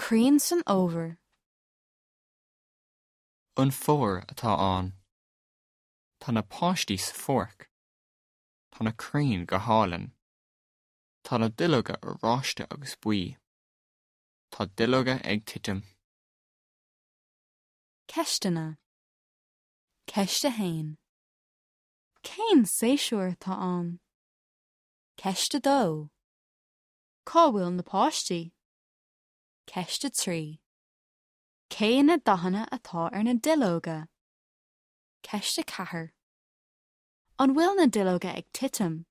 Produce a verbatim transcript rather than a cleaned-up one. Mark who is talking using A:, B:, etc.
A: Crainn san fhómhar.
B: An fómhar atá ann. Tá na páistí sa pháirc. Tá na crainn go hálainn. Tá na duilleoga oráiste agus buí. Tá duilleoga ag titim.
A: Ceisteanna. Ceist a haon. Cén séasúr atá ann? Ceist a dó. Cá bhfuil na páistí? Ceist a trí. Cé na dathanna atá ar na duilleoga? Ceist a ceathair. An bhfuil na duilleoga ag titim?